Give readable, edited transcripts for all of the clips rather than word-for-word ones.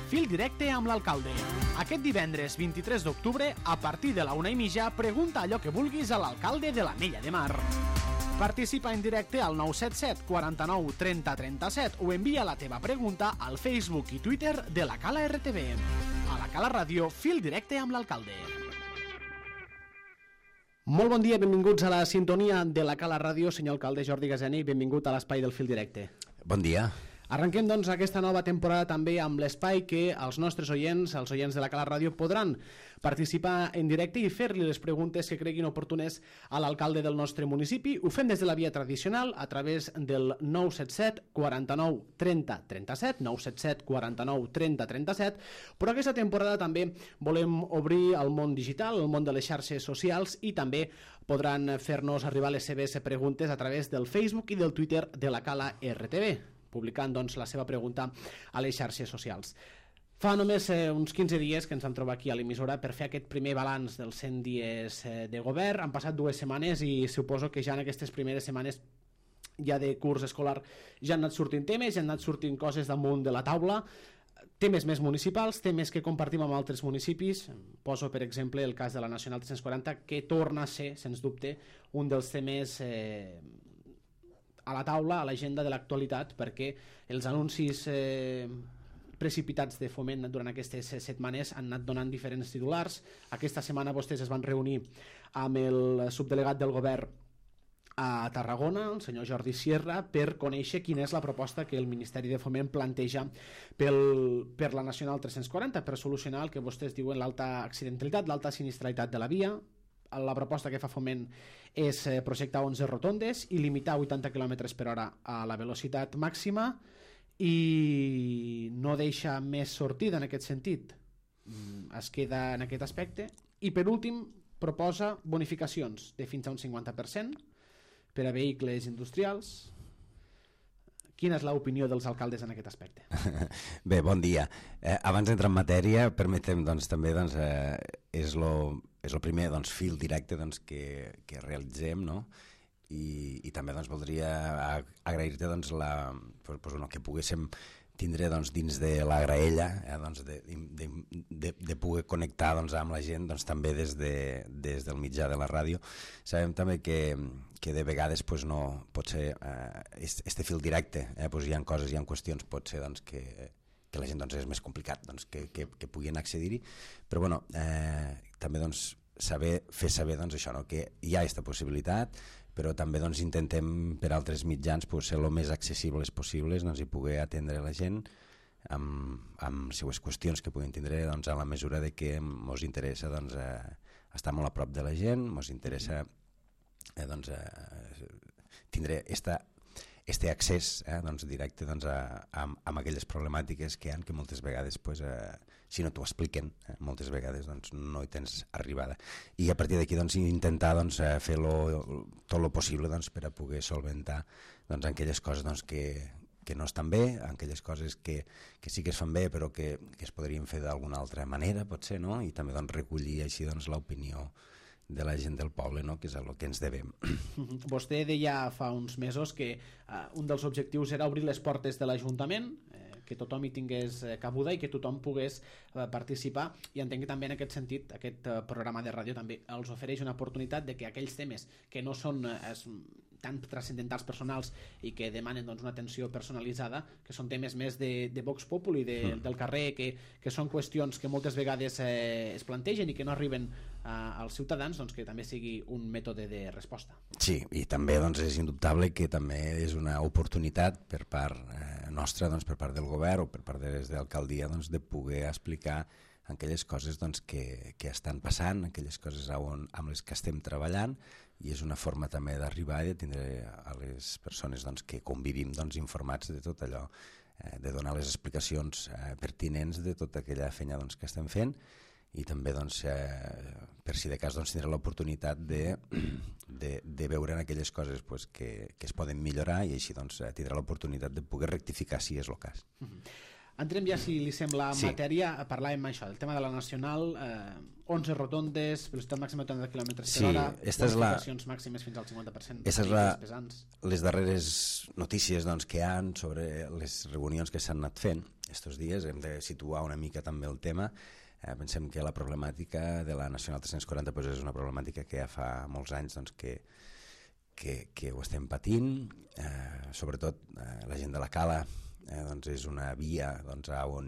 Fil directe amb l'alcalde. Aquest divendres 23 d'octubre, a partir de la 1:30, pregunta allò que vulguis a l'alcalde de l'Anella de Mar. Participa en directe al 977 49 30 37 o envia la teva pregunta al Facebook i Twitter de la Cala RTV. A la Cala Ràdio, Fil directe amb l'alcalde. Molt bon dia, benvinguts a la sintonia de la Cala Ràdio, senyor alcalde Jordi Gaseni, benvingut a l'espai del Fil directe. Bon dia. Arrenquem, doncs, aquesta nova temporada també amb l'espai que els nostres oients, els oients de la Cala Ràdio, podran participar en directe i fer-li les preguntes que creguin oportunes a l'alcalde del nostre municipi. Ho fem des de la via tradicional a través del 977 49 30 37, 977 49 30 37, però aquesta temporada també volem obrir al món digital, al món de les xarxes socials, i també podran fer-nos arribar les seves preguntes a través del Facebook i del Twitter de la Cala RTV, publicant, doncs, la seva pregunta a les xarxes socials. Fa només uns 15 dies que ens vam trobar aquí a l'emissora per fer aquest primer balanç dels 100 dies de govern. Han passat 2 setmanes i suposo que ja en aquestes primeres setmanes ja de curs escolar ja han anat sortint temes, ja han anat sortint coses damunt de la taula, temes més municipals, temes que compartim amb altres municipis. Poso per exemple el cas de la Nacional 340, que torna a ser, sens dubte, un dels temes a la taula, a l'agenda de l'actualitat, perquè els anuncis precipitats de Foment durant aquestes setmanes han anat donant diferents titulars. Aquesta setmana vostès es van reunir amb el subdelegat del govern a Tarragona, el senyor Jordi Sierra, per conèixer quina és la proposta que el Ministeri de Foment planteja per la Nacional 340, per solucionar el que vostès diuen l'alta accidentalitat, l'alta sinistralitat de la via. La proposta que fa Foment és projectar 11 rotondes i limitar 80 km/h a la velocitat màxima, i no deixa més sortida en aquest sentit. Es queda en aquest aspecte. I per últim proposa bonificacions de fins a un 50% per a vehicles industrials. Quina és l'opinió dels alcaldes en aquest aspecte? Bé, bon dia. Abans d'entrar en matèria, permetem, doncs, també, doncs, és el primer, doncs, fil directe, doncs, que realitzem, no? I també, doncs, voldria agrair-te, doncs, que poguéssim tindre, doncs, dins de la graella, doncs, de poder connectar, doncs, amb la gent, doncs, també des del mitjà de la ràdio. Sabem també que de vegades, pues, no pot ser este fil directe, pues, hi ha coses, hi ha qüestions, pot ser, doncs, que la gent, doncs, és més complicat, doncs, que puguin accedir-hi, però bueno, també, doncs, fer saber, doncs, això, no? Que hi ha aquesta possibilitat, però també, doncs, intentem per altres mitjans, pues, ser el més accessibles possibles, doncs, i poder atendre la gent amb seues qüestions que puguin tindre, doncs, a la mesura de que ens interessa, doncs, estar molt a prop de la gent, ens interessa doncs, tindre este accés, doncs, directe, doncs, amb aquelles problemàtiques que hi ha, que moltes vegades, pues, si no t'ho expliquen, moltes vegades, doncs, no hi tens arribada. I a partir d'aquí, doncs, intentar, doncs, fer tot el possible, doncs, per a poder solventar, doncs, aquelles coses, doncs, que no estan bé, aquelles coses que sí que es fan bé però que es podrien fer d'alguna altra manera, potser, no? I també, doncs, recollir així, doncs, l'opinió de la gent del poble, no? Que és el que ens devem. Vostè deia fa uns mesos que un dels objectius era obrir les portes de l'Ajuntament, que tothom hi tingués cabuda i que tothom pogués participar, i entenc que també en aquest sentit aquest programa de ràdio també els ofereix una oportunitat de que aquells temes que no són tan transcendentals personals i que demanen, doncs, una atenció personalitzada, que són temes més de Vox Populi, del carrer, que són qüestions que moltes vegades es plantegen i que no arriben als ciutadans, doncs, que també sigui un mètode de resposta. Sí, i també, doncs, és indubtable que també és una oportunitat per part nostra, doncs, per part del govern o per part de l'alcaldia, doncs, de poder explicar aquelles coses, doncs, que estan passant, aquelles coses amb les que estem treballant, i és una forma també d'arribar i de tindre a les persones, doncs, que convivim, doncs, informats de tot allò, de donar les explicacions pertinents de tota aquella feina, doncs, que estem fent, i també, doncs, per si de cas, doncs, tindrà l'oportunitat de veure en aquelles coses, pues, que es poden millorar, i així, doncs, tindrà l'oportunitat de poder rectificar si és el cas. Entrem ja, si li sembla, en matèria. Parlàvem això, el tema de la Nacional, 11 rotondes, velocitat màxima de 80 km per hora, bonificacions màximes fins al 50%. Les darreres notícies que hi ha sobre les reunions que s'han anat fent estos dies. Hem de situar una mica també el tema. Pensem que la problemàtica de la Nacional 340 és una problemàtica que ja fa molts anys que ho estem patint, sobretot la gent de la Cala. És una via on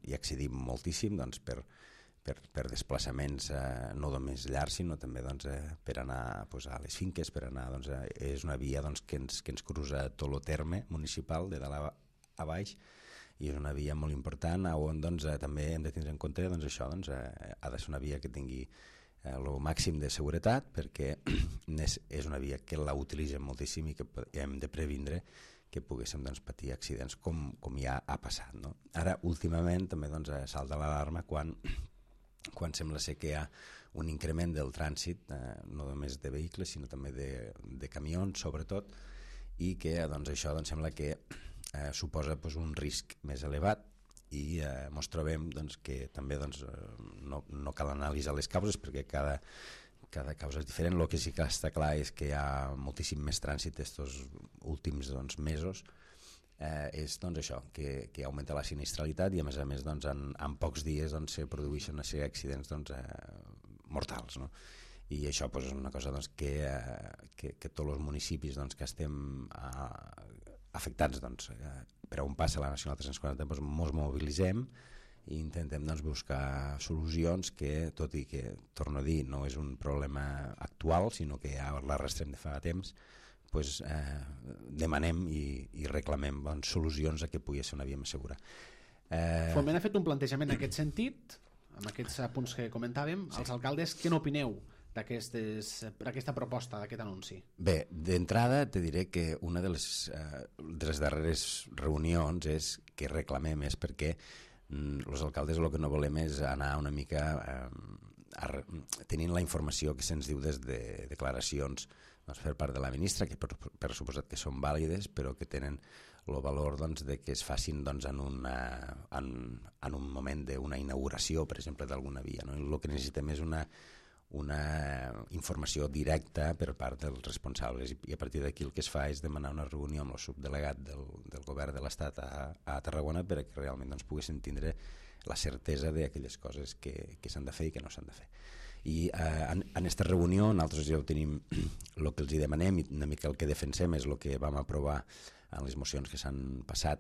hi accedim moltíssim per desplaçaments no només llargs, sinó també per anar a les finques, és una via que ens cruza tot el terme municipal de dalt a baix, i és una via molt important on també hem de tindre en compte això, ha de ser una via que tingui el màxim de seguretat, perquè és una via que la utilitzem moltíssim i que hem de previndre que poguéssim patir accidents com ja ha passat. Ara, últimament, també salta l'alarma quan sembla ser que hi ha un increment del trànsit, no només de vehicles, sinó també de camions, sobretot, i que això sembla que suposa un risc més elevat, i ens trobem que també no cal analitzar les causes, perquè cada causa és diferent. El que sí que està clar és que hi ha moltíssim més trànsit estos últims mesos, és això, que augmenta la sinistralitat, i a més en pocs dies se produeixen una sèrie d'accidents mortals, i això és una cosa que tots els municipis que estem afectats per on passa la Nacional 340 ens mobilitzem i intentem buscar solucions que, tot i que, torno a dir, no és un problema actual, sinó que ja l'arrastrem de fa temps, demanem i reclamem solucions a que pugui ser una via més segura. Foment ha fet un plantejament en aquest sentit, amb aquests punts que comentàvem. Els alcaldes, què n'opineu d'aquesta proposta, d'aquest anunci? Bé, d'entrada te diré que una de les darreres reunions que reclamem és perquè els alcaldes el que no volem és anar una mica tenint la informació que se'ns diu des de declaracions per part de la ministra, que per suposat que són vàlides, però que tenen el valor de que es facin en un moment d'una inauguració, per exemple, d'alguna via. El que necessitem és una informació directa per part dels responsables, i a partir d'aquí el que es fa és demanar una reunió amb el subdelegat del govern de l'Estat a Tarragona perquè realment poguessin tindre la certesa d'aquelles coses que s'han de fer i que no s'han de fer. I en aquesta reunió nosaltres ja ho tenim, el que els demanem i una mica el que defensem és el que vam aprovar en les mocions que s'han passat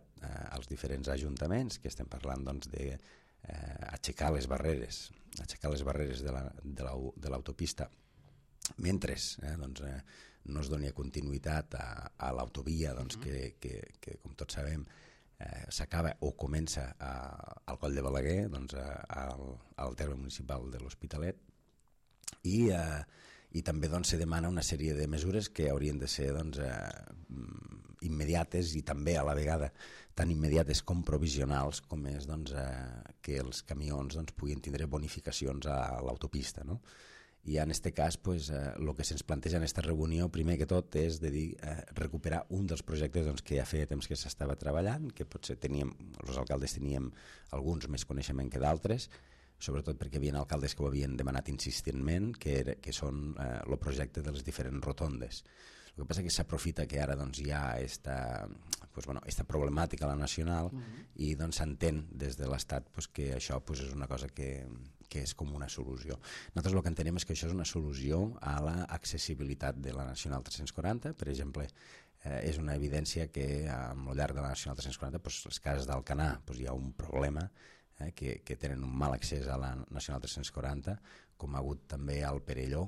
als diferents ajuntaments, que estem parlant d'aixecar les barreres de l'autopista mentre no es doni continuïtat a l'autovia que com tots sabem s'acaba o comença al Coll de Balaguer, al terme municipal de l'Hospitalet, i també se demana una sèrie de mesures que haurien de ser immediates i també a la vegada tan immediates com provisionals, com és que els camions puguin tindre bonificacions a l'autopista. I en aquest cas el que se'ns planteja en aquesta reunió primer que tot és de dir recuperar un dels projectes que ja feia temps que s'estava treballant, que potser els alcaldes teníem alguns més coneixement que d'altres, sobretot perquè hi havia alcaldes que ho havien demanat insistentment, que són el projecte de les diferents rotondes. El que passa és que s'aprofita que ara hi ha aquesta problemàtica a la Nacional i s'entén des de l'Estat que això és una cosa que és com una solució. Nosaltres el que entenem és que això és una solució a l'accessibilitat de la Nacional 340. Per exemple, és una evidència que al llarg de la Nacional 340 les cases d'Alcanar hi ha un problema, que tenen un mal accés a la Nacional 340, com ha hagut també al Perelló,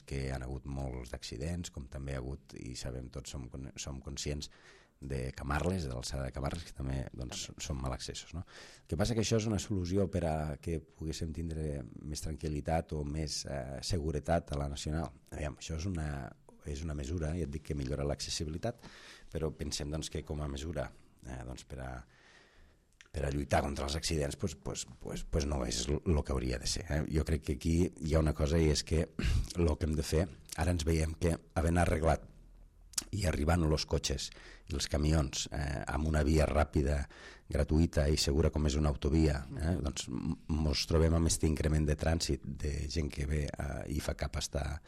que han hagut molts d'accidents, com també ha hagut, i sabem tots, som conscients, de Camarles, de l'alçada de Camarles, que també són mal accessos. El que passa que això és una solució per a que poguéssim tindre més tranquil·litat o més seguretat a la Nacional. Aviam, això és una mesura, ja et dic que millora l'accessibilitat, però pensem que com a mesura per a lluitar contra els accidents no és el que hauria de ser. Jo crec que aquí hi ha una cosa, i és que el que hem de fer, ara ens veiem que havent arreglat i arribant els cotxes i els camions amb una via ràpida gratuïta i segura com és una autovia, doncs ens trobem amb aquest increment de trànsit de gent que ve i fa cap hasta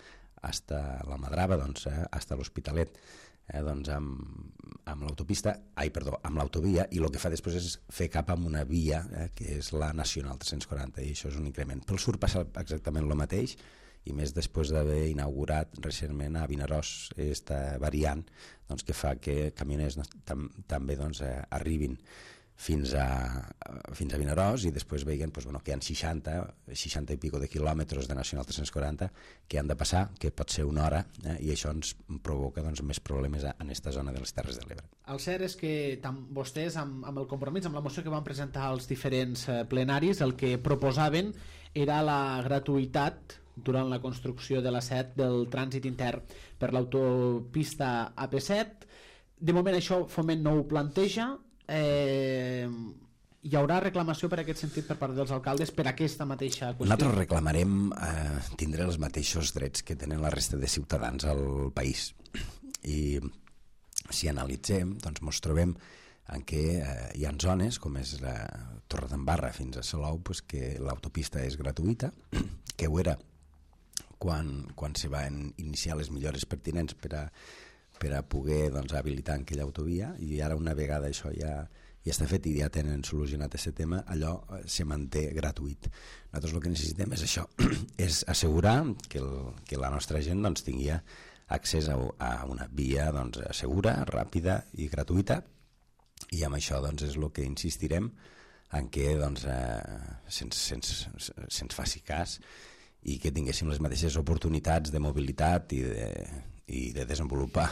la Madrava, doncs, hasta l'Hospitalet, doncs amb l'autovia, i el que fa després és fer cap amb una via que és la Nacional 340, i això és un increment. Pel sud passa exactament el mateix, i més després d'haver inaugurat recentment a Vinaròs aquesta variant, doncs, que fa que camioners també doncs, arribin fins a Vinaròs i després veien doncs, que hi ha 60 i pico de quilòmetres de Nacional 340 que han de passar, que pot ser una hora, i això ens provoca doncs, més problemes en aquesta zona de les Terres de l'Ebre. El cert és que vostès, amb el compromís, amb la moció que van presentar als diferents plenaris, el que proposaven era la gratuïtat durant la construcció de la 7 del trànsit intern per l'autopista AP7. De moment això Foment no ho planteja. Hi haurà reclamació per aquest sentit per part dels alcaldes per aquesta mateixa qüestió? Nosaltres reclamarem tindre els mateixos drets que tenen la resta de ciutadans al país, i si analitzem doncs ens trobem en què hi ha zones com és la Torredembarra fins a Salou, doncs, que l'autopista és gratuïta, que ho era quan se van iniciar les millores pertinents per a poder doncs, habilitar aquella autovia, i ara una vegada això ja està fet i ja tenen solucionat aquest tema, allò se manté gratuït. Nosaltres el que necessitem és això, és assegurar que la nostra gent doncs, tingui accés a una via doncs, segura, ràpida i gratuïta, i amb això doncs, és el que insistirem en què doncs, se'ns faci cas i que tinguéssim les mateixes oportunitats de mobilitat i de desenvolupar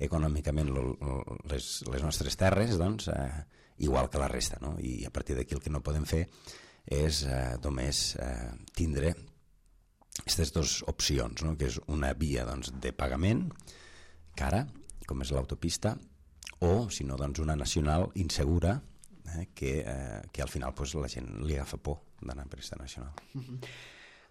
econòmicament les nostres terres, doncs, igual que la resta, no? I a partir d'aquí el que no podem fer és només tindre aquestes dues opcions, no? Que és una via doncs, de pagament cara, com és l'autopista, o si no doncs, una nacional insegura que al final doncs, la gent li agafa por d'anar per aquesta nacional.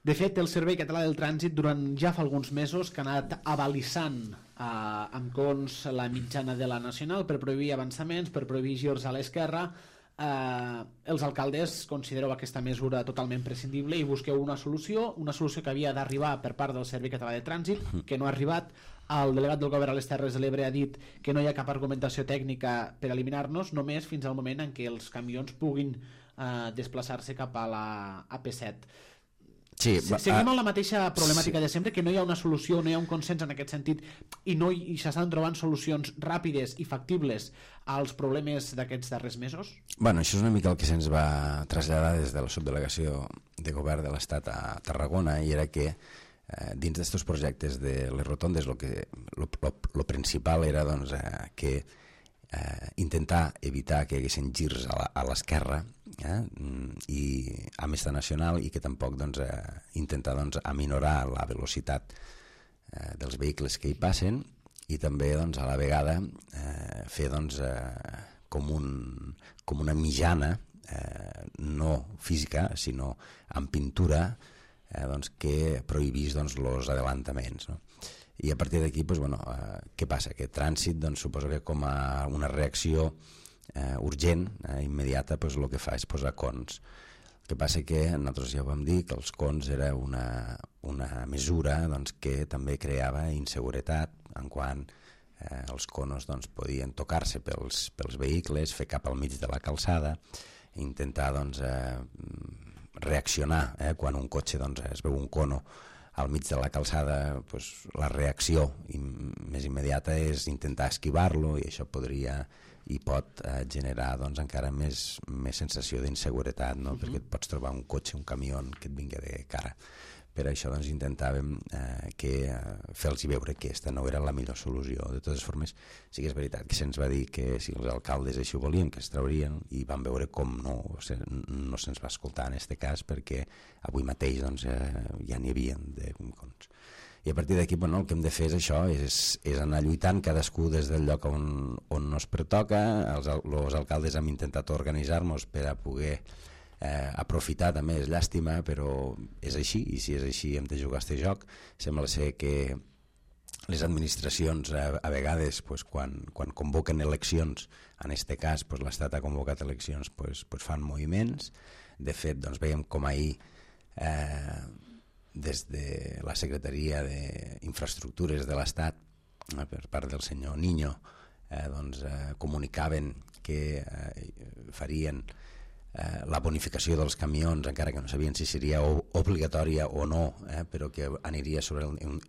De fet, el Servei Català del Trànsit durant ja fa alguns mesos que ha anat avalissant amb cons la mitjana de la nacional per prohibir avançaments, per prohibir girs a l'esquerra. Els alcaldes considereu aquesta mesura totalment prescindible i busqueu una solució que havia d'arribar per part del Servei Català de Trànsit, que no ha arribat. El delegat del Govern a les Terres de l'Ebre ha dit que no hi ha cap argumentació tècnica per eliminar-nos, només fins al moment en què els camions puguin desplaçar-se cap a la AP7. Sí, seguim amb la mateixa problemàtica de sempre, que no hi ha una solució, no hi ha un consens en aquest sentit, i s'estan trobant solucions ràpides i factibles als problemes d'aquests darrers mesos? Bueno, això és una mica el que se'ns va traslladar des de la subdelegació de govern de l'Estat a Tarragona, i era que dins d'aquests projectes de les rotondes lo principal era doncs, que intentar evitar que hi haguessin girs a l'esquerra i amb esta nacional, i que tampoc doncs, intentar doncs, aminorar la velocitat dels vehicles que hi passen, i també doncs, a la vegada fer doncs, com una mitjana no física sinó amb pintura doncs, que prohibís doncs, els adelantaments, no? I a partir d'aquí, doncs, bueno, què passa? Que trànsit doncs, suposo que com a una reacció urgent, immediata, doncs, el que fa és posar cons. El que passa que nosaltres ja ho vam dir, que els cons era una mesura doncs, que també creava inseguretat en quant els conos doncs, podien tocar-se pels vehicles, fer cap al mig de la calçada, intentar doncs, reaccionar quan un cotxe doncs, es veu un cono al mig de la calçada, doncs, la reacció més immediata és intentar esquivar-lo, i això podria i pot generar doncs, encara més sensació d'inseguretat, no? Perquè et pots trobar un cotxe, un camió que et vingui de cara. Per això doncs, intentàvem fer-los veure que aquesta no era la millor solució. De totes formes, sí que és veritat que se'ns va dir que si els alcaldes així ho volien, que es traurien, i vam veure com no se'ns va escoltar en aquest cas, perquè avui mateix doncs, ja n'hi havia de cons. I a partir d'aquí, bueno, el que hem de fer és això, és anar lluitant cadascú des del lloc on nos pertoca. Els alcaldes hem intentat organitzar-nos per a poder aprofitar, també és llàstima, però és així, i si és així hem de jugar a aquest joc. Sembla ser que les administracions a vegades pues, quan convoquen eleccions, en aquest cas pues, l'Estat ha convocat eleccions, pues, fan moviments. De fet, doncs, veiem com ahir des de la Secretaria d'Infraestructures de l'Estat, per part del senyor Niño, comunicaven que farien la bonificació dels camions, encara que no sabien si seria obligatòria o no, però que aniria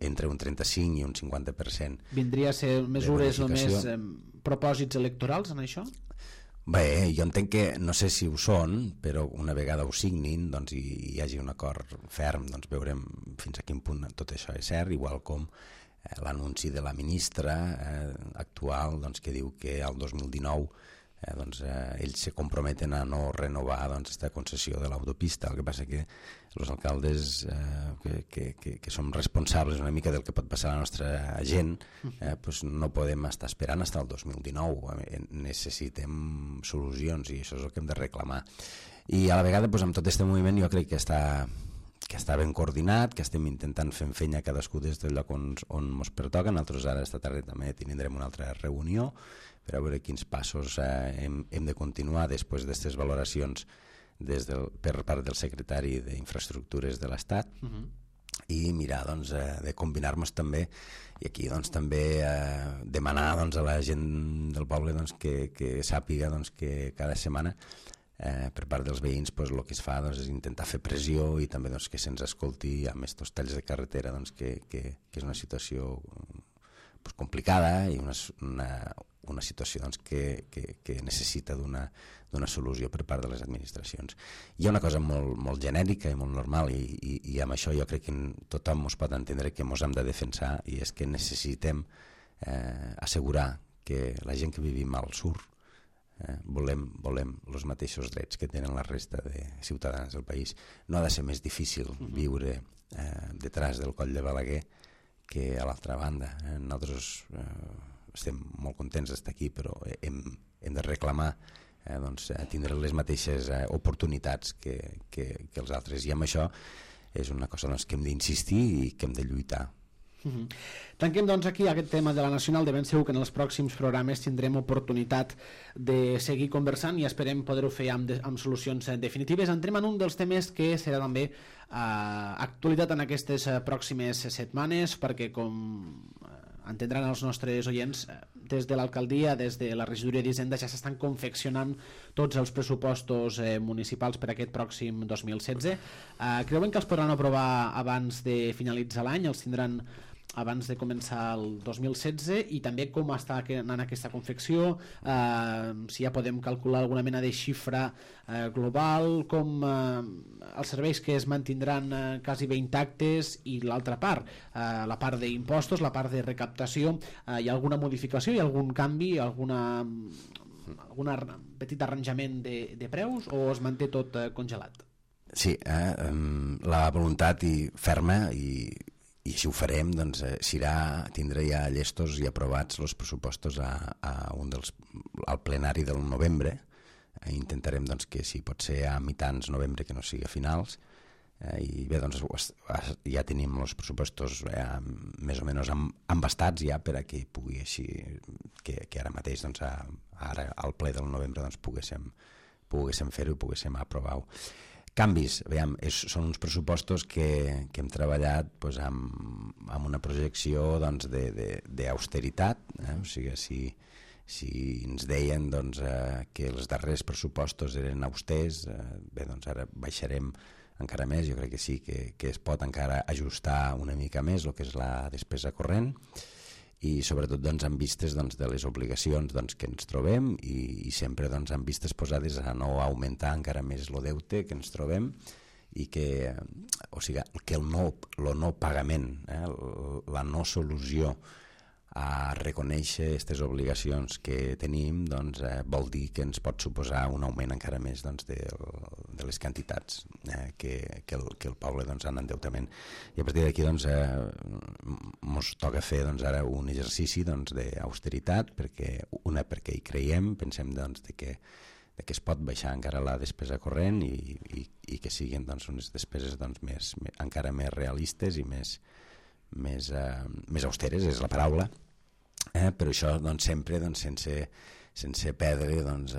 entre un 35 i un 50%. Vindria a ser mesures només propòsits electorals en això? Bé, jo entenc que, no sé si ho són, però una vegada ho signin doncs, i hi hagi un acord ferm, doncs veurem fins a quin punt tot això és cert, igual com l'anunci de la ministra actual doncs, que diu que el 2019 ells se comprometen a no renovar aquesta concessió de l'autopista. El que passa que els alcaldes que som responsables una mica del que pot passar a la nostra gent doncs no podem estar esperant fins al 2019. Necessitem solucions i això és el que hem de reclamar. I a la vegada doncs, amb tot aquest moviment jo crec que està ben coordinat, que estem intentant fer feina cadascú des del lloc on ens pertoca. Nosaltres ara esta tarda també tindrem una altra reunió per a veure quins passos hem de continuar després d'aquestes valoracions per part del secretari d'Infraestructures de l'Estat i mirar doncs, de combinar-nos també i aquí doncs, també demanar doncs, a la gent del poble doncs, que sàpiga doncs, que cada setmana per part dels veïns doncs, el que es fa doncs, és intentar fer pressió i també doncs, que se'ns escolti amb aquests talls de carretera doncs, que és una situació doncs, complicada i una situació doncs, que necessita d'una solució per part de les administracions. Hi ha una cosa molt genèrica i molt normal i amb això jo crec que tothom ens pot entendre que ens hem de defensar i és que necessitem assegurar que la gent que vivim al sur volem els mateixos drets que tenen la resta de ciutadans del país. No ha de ser més difícil viure detrás del Coll de Balaguer que a l'altra banda. Nosaltres estem molt contents d'estar aquí, però hem de reclamar tindre les mateixes oportunitats que els altres, i amb això és una cosa que hem d'insistir i que hem de lluitar. Tanquem doncs aquí aquest tema de la Nacional. De ben segur que en els pròxims programes tindrem oportunitat de seguir conversant i esperem poder-ho fer amb solucions definitives. Entrem en un dels temes que serà també actualitat en aquestes pròximes setmanes, perquè com entendran els nostres oients, des de l'alcaldia, des de la regidoria d'Hisenda ja s'estan confeccionant tots els pressupostos municipals per aquest pròxim 2016. Creuen que els podran aprovar abans de finalitzar l'any? Els tindran abans de començar el 2016? I també com està anant aquesta confecció, si ja podem calcular alguna mena de xifra global, com els serveis que es mantindran quasi bé intactes i l'altra part, la part d'impostos, la part de recaptació, hi ha alguna modificació, hi ha algun canvi, algun petit arranjament de preus o es manté tot congelat? Sí, la voluntat ferma i així ho farem, doncs, tindrà ja llestos i aprovats els pressupostos al plenari del novembre. Intentarem doncs, que si pot ser a mitjans novembre, que no sigui a finals, i bé, doncs, ja tenim els pressupostos més o menys embastats ja per a que pugui així, que ara mateix doncs, ara al ple del novembre doncs, poguéssim fer-ho i poguéssim aprovar-ho. Canvis, són uns pressupostos que hem treballat doncs, amb una projecció doncs, d'austeritat, o sigui, si ens deien doncs, que els darrers pressupostos eren austers, bé, doncs ara baixarem encara més. Jo crec que sí, que es pot encara ajustar una mica més el que és la despesa corrent i sobretot doncs, amb vistes doncs, de les obligacions doncs, que ens trobem i sempre doncs, amb vistes posades a no augmentar encara més el deute que ens trobem i que, o sigui, que el no pagament, la no solució a reconèixer aquestes obligacions que tenim doncs, vol dir que ens pot suposar un augment encara més doncs, de les quantitats que el poble doncs, en endeutament. I a partir d'aquí doncs, ens toca fer doncs, ara un exercici doncs, d'austeritat perquè hi creiem, pensem doncs, que es pot baixar encara la despesa corrent i que siguin doncs, unes despeses doncs, encara més realistes i més més austeres, és la paraula, però això doncs, sempre doncs, sense perdre doncs,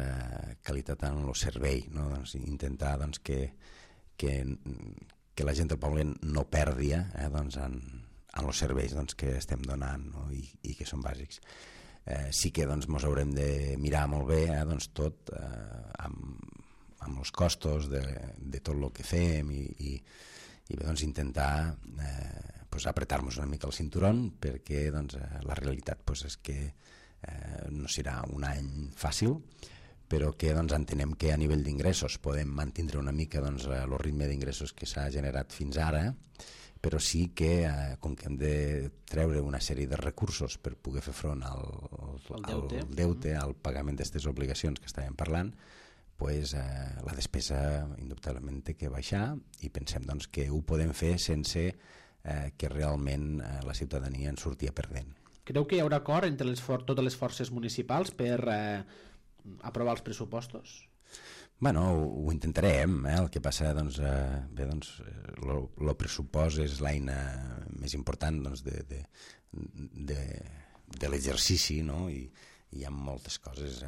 qualitat en el servei, no? Doncs, intentar doncs, que la gent del poble no perdi doncs, en els serveis doncs, que estem donant, no? I que són bàsics. Sí que doncs, ens haurem de mirar molt bé doncs, tot amb els costos de tot el que fem i bé, doncs, intentar pues, apretar-nos una mica el cinturón, perquè doncs, la realitat pues, és que no serà un any fàcil, però que doncs, entenem que a nivell d'ingressos podem mantenir una mica doncs, el ritme d'ingressos que s'ha generat fins ara, però sí que com que hem de treure una sèrie de recursos per poder fer front al deute, al pagament d'aquestes obligacions que estàvem parlant, pues, la despesa indubtablement té que baixar i pensem doncs, que ho podem fer sense que realment la ciutadania en sortia perdent. Creu que hi haurà acord entre totes les forces municipals per aprovar els pressupostos? Bueno, ho intentarem, el que passa doncs, bé, doncs, el pressupost és l'eina més important doncs, de l'exercici, no? I hi ha moltes coses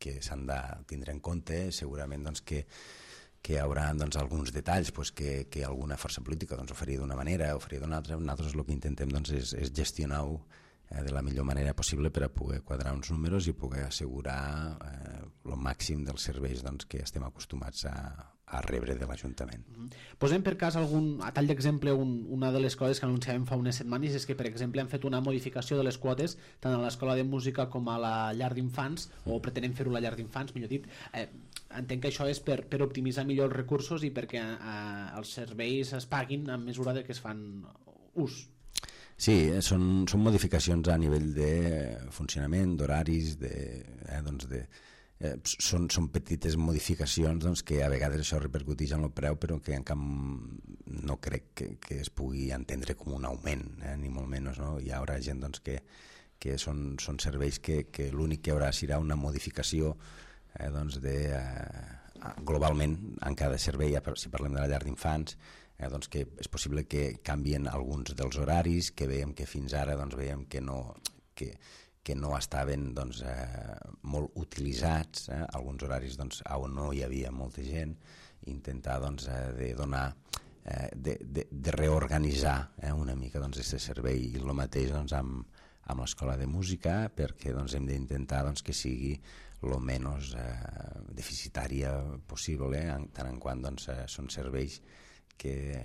que s'han de tindre en compte, segurament doncs, que hi haurà doncs, alguns detalls pues, que alguna força política doncs, ho faria d'una manera o faria d'una altra. Nosaltres el que intentem doncs, és gestionar-ho de la millor manera possible per a poder quadrar uns números i poder assegurar el màxim dels serveis doncs, que estem acostumats a rebre de l'Ajuntament. Posem per cas a tall d'exemple una de les coses que anunciàvem fa unes setmanes és que per exemple hem fet una modificació de les quotes tant a l'escola de música com a la llar d'infants, o pretenem fer-ho a la llar d'infants, millor dit. Entenc que això és per optimitzar millor els recursos i perquè els serveis es paguin a mesura que es fan ús. Sí, són modificacions a nivell de funcionament, d'horaris, són petites modificacions doncs, que a vegades això repercuteix en el preu, però que en cap no crec que es pugui entendre com un augment, ni molt menys. No? Hi haurà gent doncs, que són serveis que l'únic que hi haurà serà una modificació doncs, globalment en cada servei, si parlem de la llar d'infants, doncs que és possible que canvien alguns dels horaris, que veiem que fins ara doncs, veiem que no estaven doncs, molt utilitzats, alguns horaris doncs, on no hi havia molta gent, intentar doncs, de donar de reorganitzar una mica doncs, aquest servei, i el mateix doncs, amb l'escola de música, perquè doncs, hem d'intentar doncs, que sigui el menys deficitària possible, tant en quant doncs, són serveis que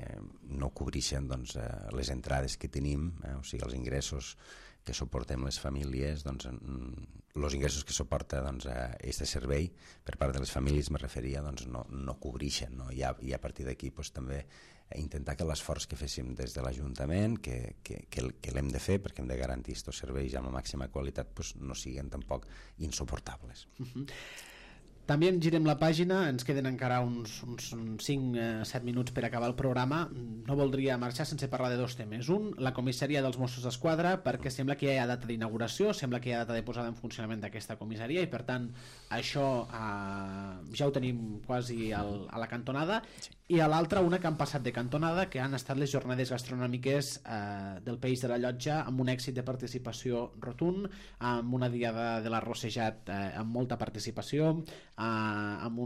no cobreixen doncs, les entrades que tenim, o sigui, els ingressos que suportem les famílies, doncs, els ingressos que suporta doncs, aquest servei per part de les famílies, me referia, doncs, no cobreixen, no? I a partir d'aquí doncs, també intentar que l'esforç que féssim des de l'Ajuntament, que l'hem de fer perquè hem de garantir aquests serveis amb la màxima qualitat, doncs, no siguin tampoc insuportables. També girem la pàgina, ens queden encara uns 5-7 minuts per acabar el programa. No voldria marxar sense parlar de dos temes. Un, la comissaria dels Mossos d'Esquadra, perquè sembla que ja hi ha data d'inauguració, sembla que hi ha data de posada en funcionament d'aquesta comissaria i per tant això ja ho tenim quasi a la cantonada. I a l'altra, una que han passat de cantonada, que han estat les jornades gastronòmiques del Peix de la Llotja, amb un èxit de participació rotund, amb una diada de l'arrossejat amb molta participació, amb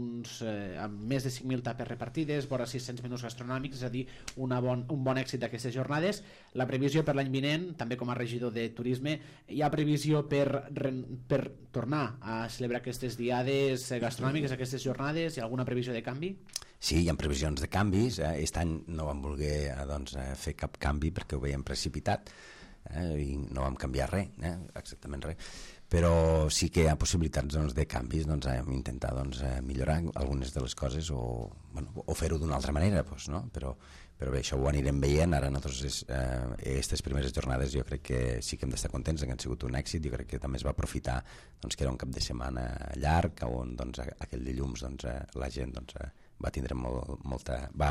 més de 5.000 tapes repartides, vora 600 menús gastronòmics, és a dir, un bon èxit d'aquestes jornades. La previsió per l'any vinent, també com a regidor de turisme, hi ha previsió per tornar a celebrar aquestes diades gastronòmiques, aquestes jornades? Hi ha alguna previsió de canvi? Sí, hi ha previsions de canvis. Aquest any no vam voler fer cap canvi perquè ho veiem precipitat i no vam canviar res, exactament res. Però sí que hi ha possibilitats de canvis, hem intentat millorar algunes de les coses o fer-ho d'una altra manera, no? Però bé, això ho anirem veient. Ara nosaltres aquestes primeres jornades jo crec que sí que hem d'estar contents, que han sigut un èxit. Jo crec que també es va aprofitar que era un cap de setmana llarg, on aquell dilluns la gent va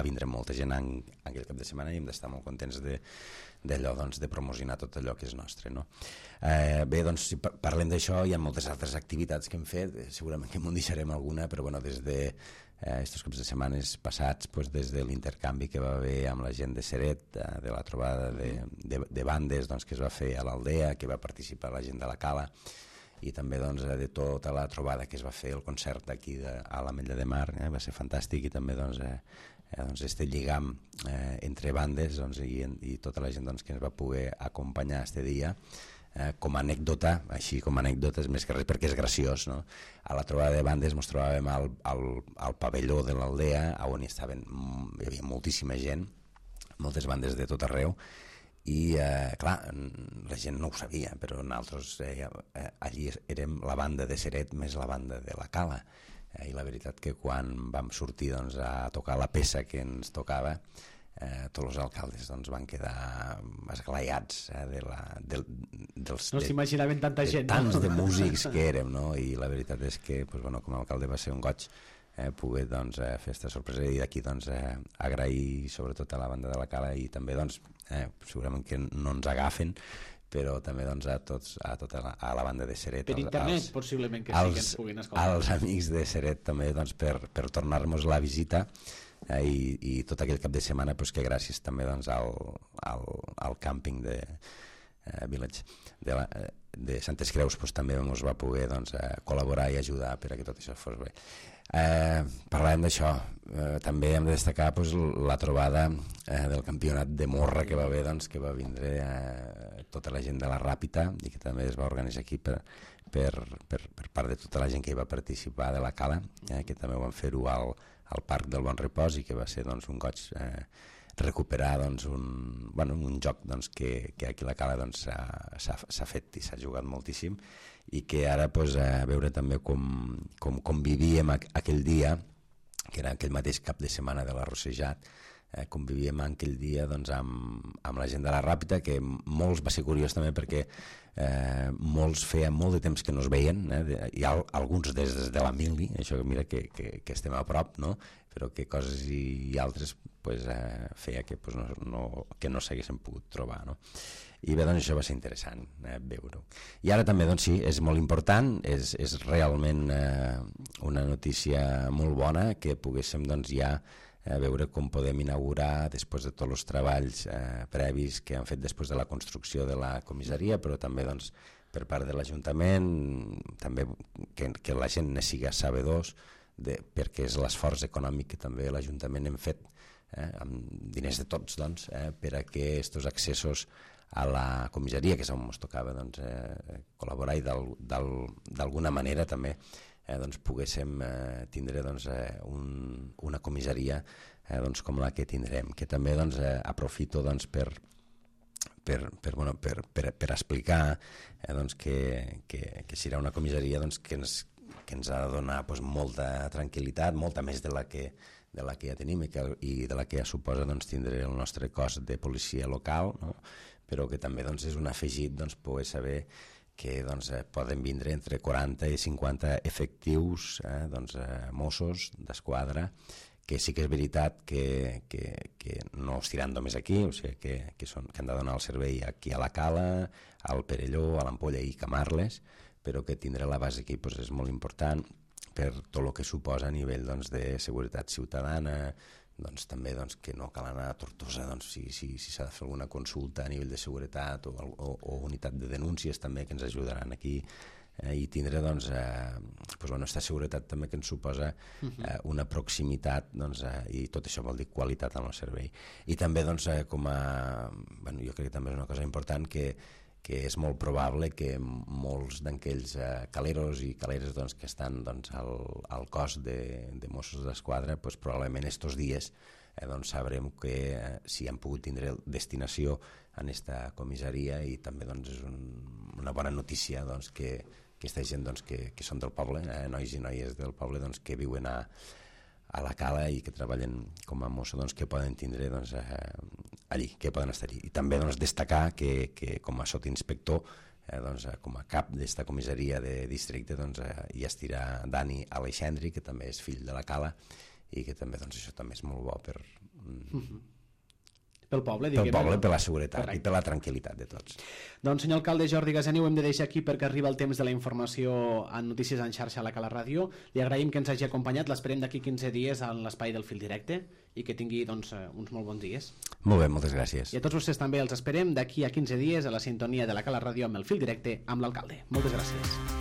vindre molta gent en aquell cap de setmana i hem d'estar molt contents d'allò, de promocionar tot allò que és nostre, no? Bé, doncs si parlem d'això, hi ha moltes altres activitats que hem fet, segurament que m'ho deixarem alguna, però des de estos caps de setmanes passats, pues, des de l'intercanvi que va haver amb la gent de Seret, de la trobada de bandes, doncs, que es va fer a l'Aldea, que va participar la gent de la Cala, i també, doncs, de tota la trobada que es va fer, el concert aquí a l'Ametlla de Mar, va ser fantàstic, i també, doncs, este lligam entre bandes, doncs, i tota la gent, doncs, que ens va poder acompanyar este dia, com a anècdota, així com a anècdota és més que res perquè és graciós, no? A la trobada de bandes ens trobàvem al pavelló de l'Aldea, on hi havia moltíssima gent, moltes bandes de tot arreu, i clar, la gent no ho sabia, però nosaltres allí érem la banda de Seret més la banda de la Cala, i la veritat que quan vam sortir, doncs, a tocar la peça que ens tocava, tots els alcaldes, doncs, van quedar esglaiats no s'imaginaven tanta gent, tants de músics que érem, no? I la veritat és que, pues, bueno, com a alcalde va ser un goig poder, doncs, fer aquesta sorpresa, i d'aquí, doncs, agrair sobretot a la banda de la Cala, i també, doncs, segurament que no ens agafen, però també, doncs, a la banda de Seret, per internet possiblement que sí que ens puguin escoltar, als amics de Seret també, doncs, per tornar-nos la visita, i tot aquell cap de setmana, pues, que gràcies també, doncs, al càmping de Village de Santes Creus, pues, també ens va poder, doncs, col·laborar i ajudar per a que tot això fos bé. Parlàvem d'això, també hem de destacar, pues, la trobada del campionat de morra que va haver, doncs, que va vindre tota la gent de la Ràpita, i que també es va organitzar aquí per part de tota la gent que hi va participar de la Cala, que també ho van fer-ho al Parc del Bon Repòs, i que va ser, doncs, un goig recuperar, doncs, un joc, doncs, que aquí a la Cala, doncs, s'ha fet i s'ha jugat moltíssim, i que ara, pues, veure també com vivíem aquell dia, que era aquell mateix cap de setmana de l'Arrossejat, com vivíem aquell dia, doncs, amb la gent de la Ràpita, que molts va ser curiós també perquè molts feia molt de temps que no es veien, i alguns des de la Mili, això mira que estem a prop, no? Però que coses i altres, pues, feia que, pues, que no s'haguessin pogut trobar, no? I bé, doncs, això va ser interessant veure-ho. I ara també, doncs, sí, és molt important, és realment una notícia molt bona que poguéssim, doncs, ja veure com podem inaugurar, després de tots els treballs previs que han fet després de la construcció de la comissaria, però també, doncs, per part de l'Ajuntament, també que la gent ne siga sabedors, perquè és l'esforç econòmic que també l'Ajuntament hem fet, amb diners de tots, doncs, per a que aquests accessos a la comissaria, que és on ens tocava, doncs, col·laborar, i d'alguna manera també doncs, poguéssim tindre, doncs, una comissaria, doncs, com la que tindrem, que també, doncs, aprofito, doncs, per explicar, doncs, que serà una comissaria, doncs, que ens ha de donar, doncs, molta tranquil·litat, molta més de la que ja tenim, i de la que ja suposa, doncs, tindre el nostre cos de policia local, no? Però que també, doncs, és un afegit, doncs, poder saber que, doncs, poden vindre entre 40 i 50 efectius, doncs, Mossos d'Esquadra, que sí que és veritat que no es tiran només aquí, o sigui, que han de donar el servei aquí a la Cala, al Perelló, a l'Ampolla i Camarles, però que tindre la base aquí, doncs, és molt important per tot el que suposa a nivell, doncs, de seguretat ciutadana, doncs, també, doncs, que no cal anar a Tortosa, doncs, si s'ha de fer alguna consulta a nivell de seguretat o unitat de denúncies també, que ens ajudaran aquí, i tindre, doncs, aquesta seguretat també que ens suposa una proximitat, doncs, i tot això vol dir qualitat en el servei. I també, doncs, jo crec que també és una cosa important, que és molt probable que molts d'aquells caleros i caleres, doncs, que estan, doncs, al cos de Mossos d'Esquadra, doncs, probablement estos dies doncs, sabrem que si han pogut tindre destinació en esta comissaria, i també, doncs, és una bona notícia, doncs, que aquesta gent, doncs, que són del poble, nois i noies del poble, doncs, que viuen a la Cala i que treballen com a mosso, doncs, que poden tindre, doncs, allí, que poden estar allí. I també, doncs, destacar que com a sotinspector, doncs, com a cap d'esta comissaria de districte, doncs, hi estirà Dani Aleixandri, que també és fill de la Cala, i que també, doncs, això també és molt bo pel poble, pel diguem. poble, per la seguretat. Correcte. I per la tranquil·litat de tots. Doncs senyor alcalde Jordi Gaseni, ho hem de deixar aquí perquè arriba el temps de la informació en Notícies en xarxa a la Cala Ràdio. Li agraïm que ens hagi acompanyat, l'esperem d'aquí 15 dies en l'espai del Fil Directe i que tingui doncs, uns molt bons dies. Molt bé, moltes gràcies. I a tots vostès també els esperem d'aquí a 15 dies a la sintonia de la Cala Ràdio amb el Fil Directe amb l'alcalde. Moltes gràcies.